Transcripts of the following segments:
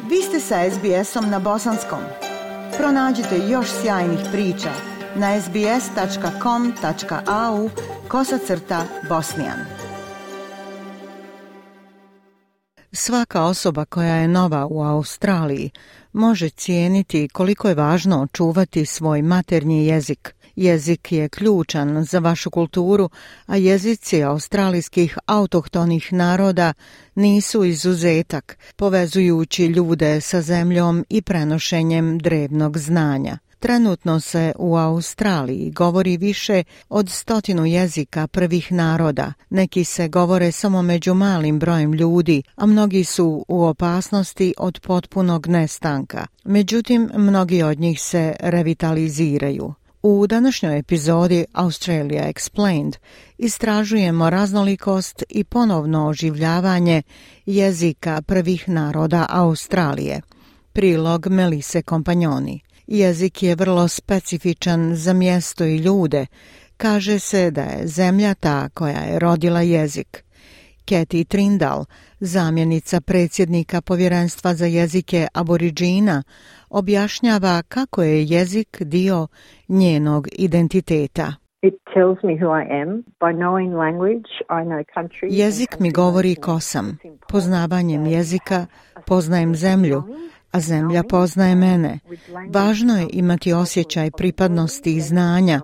Vi ste sa SBS-om na bosanskom. Pronađite još sjajnih priča na sbs.com.au/bosnijan. Svaka osoba koja je nova u Australiji može cijeniti koliko je važno čuvati svoj maternji jezik. Jezik je ključan za vašu kulturu, a jezici australijskih autohtonih naroda nisu izuzetak, povezujući ljude sa zemljom i prenošenjem drevnog znanja. Trenutno se u Australiji govori više od 100 jezika prvih naroda. Neki se govore samo među malim brojem ljudi, a mnogi su u opasnosti od potpunog nestanka. Međutim, mnogi od njih se revitaliziraju. U današnjoj epizodi Australia Explained istražujemo raznolikost i ponovno oživljavanje jezika prvih naroda Australije. Prilog Melise Kompanjoni. Jezik je vrlo specifičan za mjesto i ljude. Kaže se da je zemlja ta koja je rodila jezik. Kathy Trindall, zamjenica predsjednika Povjerenstva za jezike Aboriđina, objašnjava kako je jezik dio njenog identiteta. Jezik mi govori ko sam. Poznavanjem jezika poznajem zemlju, a zemlja poznaje mene. Važno je imati osjećaj pripadnosti i znanja,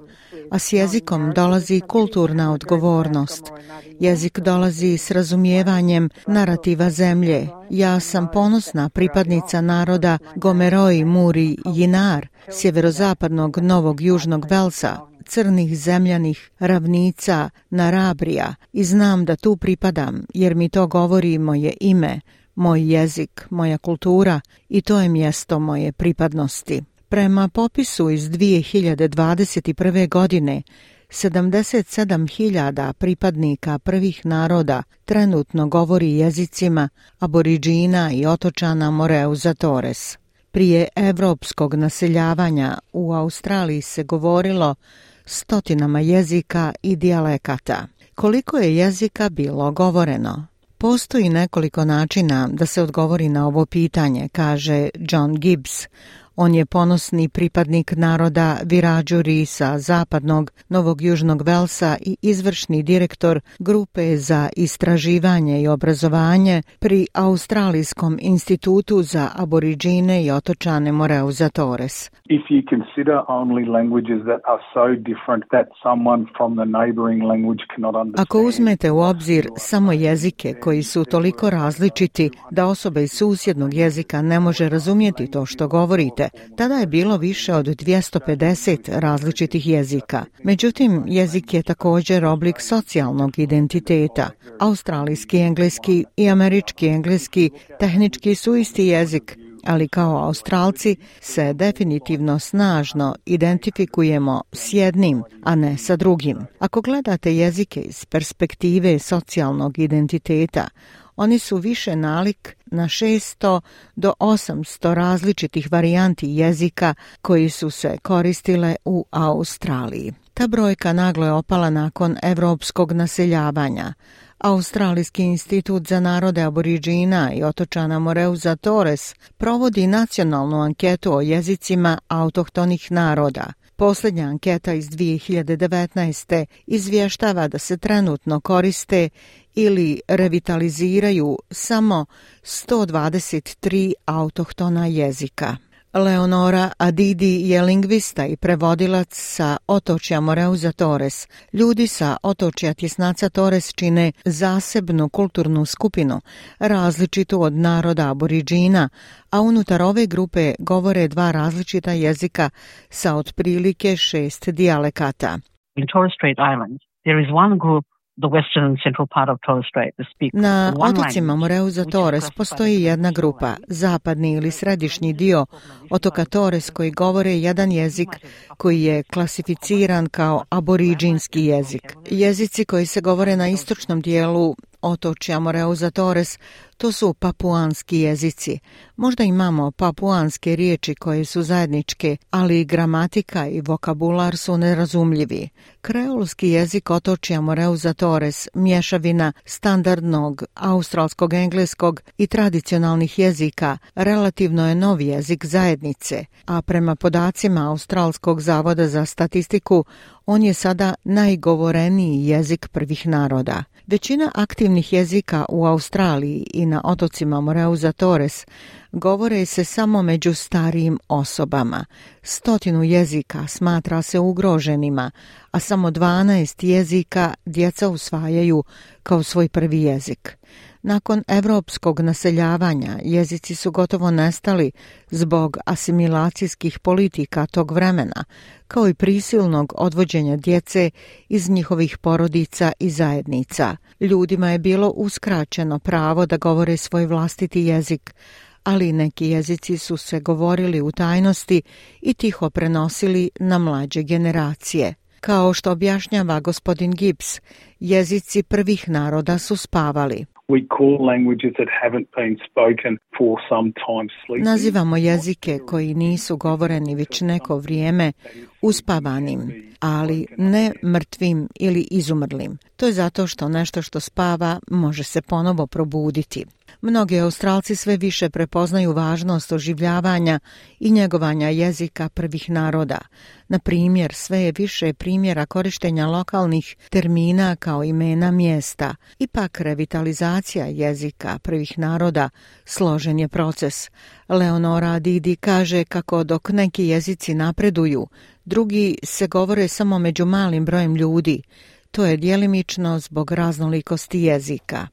a s jezikom dolazi kulturna odgovornost. Jezik dolazi s razumijevanjem narativa zemlje. Ja sam ponosna pripadnica naroda Gomeroi Muri Jinar, sjeverozapadnog Novog Južnog Velsa, crnih zemljanih ravnica Narabrija, i znam da tu pripadam jer mi to govori moje ime, moj jezik, moja kultura, i to je mjesto moje pripadnosti. Prema popisu iz 2021. godine, 77.000 pripadnika prvih naroda trenutno govori jezicima Aboriđina i otočana Moreuza Torres. Prije evropskog naseljavanja u Australiji se govorilo 100 jezika i dijalekata. Koliko je jezika bilo govoreno? Postoji nekoliko načina da se odgovori na ovo pitanje, kaže John Gibbs. On je ponosni pripadnik naroda Wiradjuri sa zapadnog Novog Južnog Velsa i izvršni direktor grupe za istraživanje i obrazovanje pri Australijskom institutu za Aboriđine i otočane Moreuza Torres. If you consider only languages that are so different that someone from the neighboring language cannot understand. Ako uzmete u obzir samo jezike koji su toliko različiti da osoba iz susjednog jezika ne može razumjeti to što govorite, tada je bilo više od 250 različitih jezika. Međutim, jezik je također oblik socijalnog identiteta. Australijski engleski i američki engleski tehnički su isti jezik, ali kao Australci se definitivno snažno identifikujemo s jednim, a ne sa drugim. Ako gledate jezike iz perspektive socijalnog identiteta, oni su više nalik na 600 do 800 različitih varijanti jezika koji su se koristile u Australiji. Ta brojka naglo je opala nakon evropskog naseljavanja. Australijski institut za narode Aboriđina i otočana Moreuza Torres provodi nacionalnu anketu o jezicima autohtonih naroda. Posljednja anketa iz 2019. izvještava da se trenutno koriste ili revitaliziraju samo 123 autohtona jezika. Leonora Adidi je lingvista i prevodilac sa otočja Moreuza Torres. Ljudi sa otočja Tjesnaca Torres čine zasebnu kulturnu skupinu, različitu od naroda Aboriđina, a unutar ove grupe govore 2 različita jezika sa otprilike 6 dijalekata. In Torres Strait Islands, there is one group, the western and central part of Torres Strait, that speak Na one otocima language, Moreuza which is Torres classified postoji as jedna Torres grupa, Strait. zapadni ili središnji dio otoka Torres, koji govore jedan jezik koji je klasificiran kao aboriđinski jezik. Jezici koji se govore na istočnom dijelu otočja Moreuza Torres, to su papuanski jezici. Možda imamo papuanske riječi koje su zajedničke, ali gramatika i vokabular su nerazumljivi. Kreolski jezik otočja Moreuza Torres, mješavina standardnog australskog engleskog i tradicionalnih jezika, relativno je novi jezik zajednice, a prema podacima Australskog zavoda za statistiku, on je sada najgovoreniji jezik prvih naroda. Većina aktivnih jezika u Australiji i na otocima Moreuza Torres govore se samo među starijim osobama. 100 jezika smatra se ugroženima, a samo 12 jezika djeca usvajaju kao svoj prvi jezik. Nakon evropskog naseljavanja jezici su gotovo nestali zbog asimilacijskih politika tog vremena, kao i prisilnog odvođenja djece iz njihovih porodica i zajednica. Ljudima je bilo uskraćeno pravo da govore svoj vlastiti jezik, ali neki jezici su se govorili u tajnosti i tiho prenosili na mlađe generacije. Kao što objašnjava gospodin Gibbs, jezici prvih naroda su spavali. Nazivamo jezike koji nisu govoreni već neko vrijeme uspavanim, ali ne mrtvim ili izumrlim. To je zato što nešto što spava može se ponovo probuditi. Mnogi Australci sve više prepoznaju važnost oživljavanja i njegovanja jezika prvih naroda. Na primjer, sve je više primjera korištenja lokalnih termina kao imena mjesta. Ipak revitalizacija jezika prvih naroda složen je proces. Leonora Didi kaže kako dok neki jezici napreduju, drugi se govore samo među malim brojem ljudi. To je djelimično zbog raznolikosti jezika.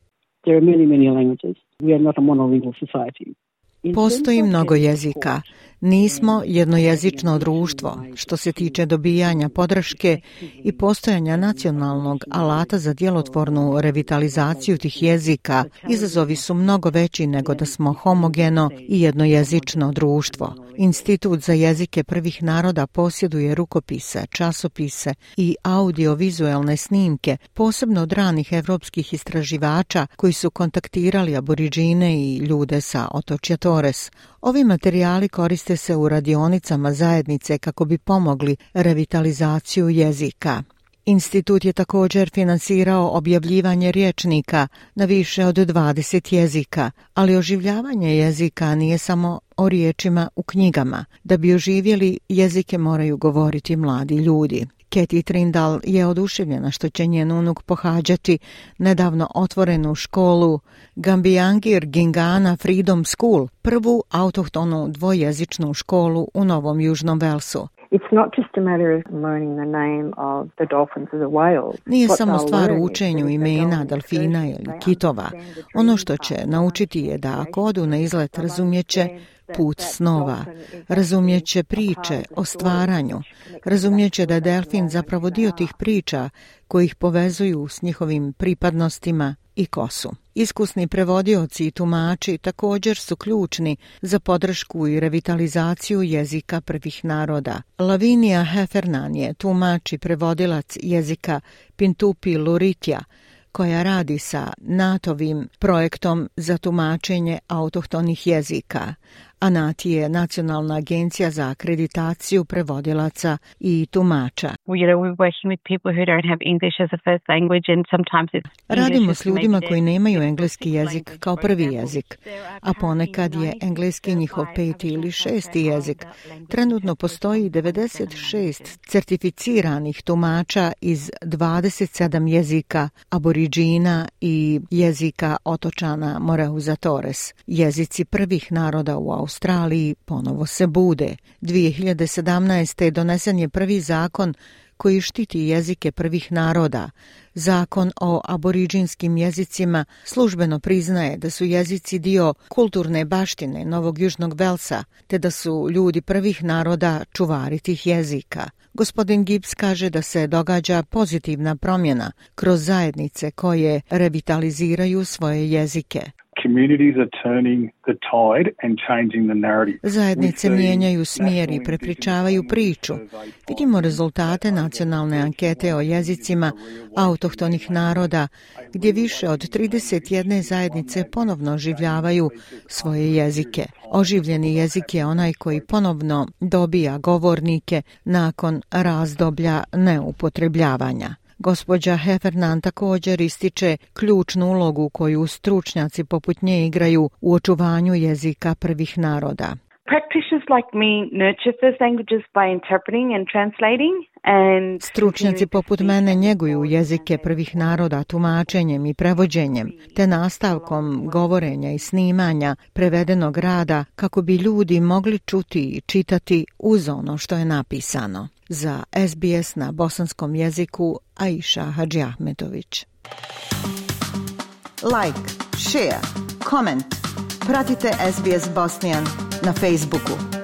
There are many languages. We are not a monolingual society. Postoji mnogo jezika. Nismo jednojezično društvo. Što se tiče dobijanja podrške i postojanja nacionalnog alata za djelotvornu revitalizaciju tih jezika, izazovi su mnogo veći nego da smo homogeno i jednojezično društvo. Institut za jezike prvih naroda posjeduje rukopise, časopise i audiovizualne snimke, posebno od ranih evropskih istraživača koji su kontaktirali aboriđine i ljude sa otočja Torres. Ovi materijali koriste se u radionicama zajednice kako bi pomogli revitalizaciju jezika. Institut je također finansirao objavljivanje rječnika na više od 20 jezika, ali oživljavanje jezika nije samo o riječima u knjigama. Da bi oživjeli, jezike moraju govoriti mladi ljudi. Katie Trindall je oduševljena što će njen unuk pohađati nedavno otvorenu školu Gambiangir Gingana Freedom School, prvu autohtonu dvojezičnu školu u Novom Južnom Velsu. Nije samo stvar u učenju imena delfina ili kitova. Ono što će naučiti je da ako odu na izlet razumjeće put snova, razumjeće priče o stvaranju, razumjeće da je delfin zapravo dio tih priča koji ih povezuju s njihovim pripadnostima i kosu. Iskusni prevodioci i tumači također su ključni za podršku i revitalizaciju jezika prvih naroda. Lavinia Heffernan je tumač i prevodilac jezika Pintupi Luritja, koja radi sa NATO-vim projektom za tumačenje autohtonih jezika. A NAT je Nacionalna agencija za akreditaciju prevodilaca i tumača. Radimo s ljudima koji nemaju engleski jezik kao prvi jezik, a ponekad je engleski njihov 5. ili 6. jezik. Trenutno postoji 96 certificiranih tumača iz 27 jezika aboriđina i jezika otočana Moreuza Torres. Jezici prvih naroda u Australiji ponovo se bude. 2017. donesen je prvi zakon koji štiti jezike prvih naroda. Zakon o aboriđinskim jezicima službeno priznaje da su jezici dio kulturne baštine Novog Južnog Velsa, te da su ljudi prvih naroda čuvari tih jezika. Gospodin Gibbs kaže da se događa pozitivna promjena kroz zajednice koje revitaliziraju svoje jezike. Communities are turning the tide and changing the narrative. Zajednice mijenjaju smjer i prepričavaju priču. Vidimo rezultate nacionalne ankete o jezicima autohtonih naroda, gdje više od 31 zajednice ponovno oživljavaju svoje jezike. Oživljeni jezik je onaj koji ponovno dobija govornike nakon razdoblja neupotrebljavanja. Gospođa Heffernan također ističe ključnu ulogu koju stručnjaci poput nje igraju u očuvanju jezika prvih naroda. Practitioners like me nurture first languages by interpreting and translating. Stručnjaci poput mene njeguju jezike prvih naroda tumačenjem i prevođenjem, te nastavkom govorenja i snimanja prevedenog rada kako bi ljudi mogli čuti i čitati uz ono što je napisano. Za SBS na bosanskom jeziku Aisha Hadžiahmetović. Like, share, comment. Pratite SBS Bosnian na Facebooku.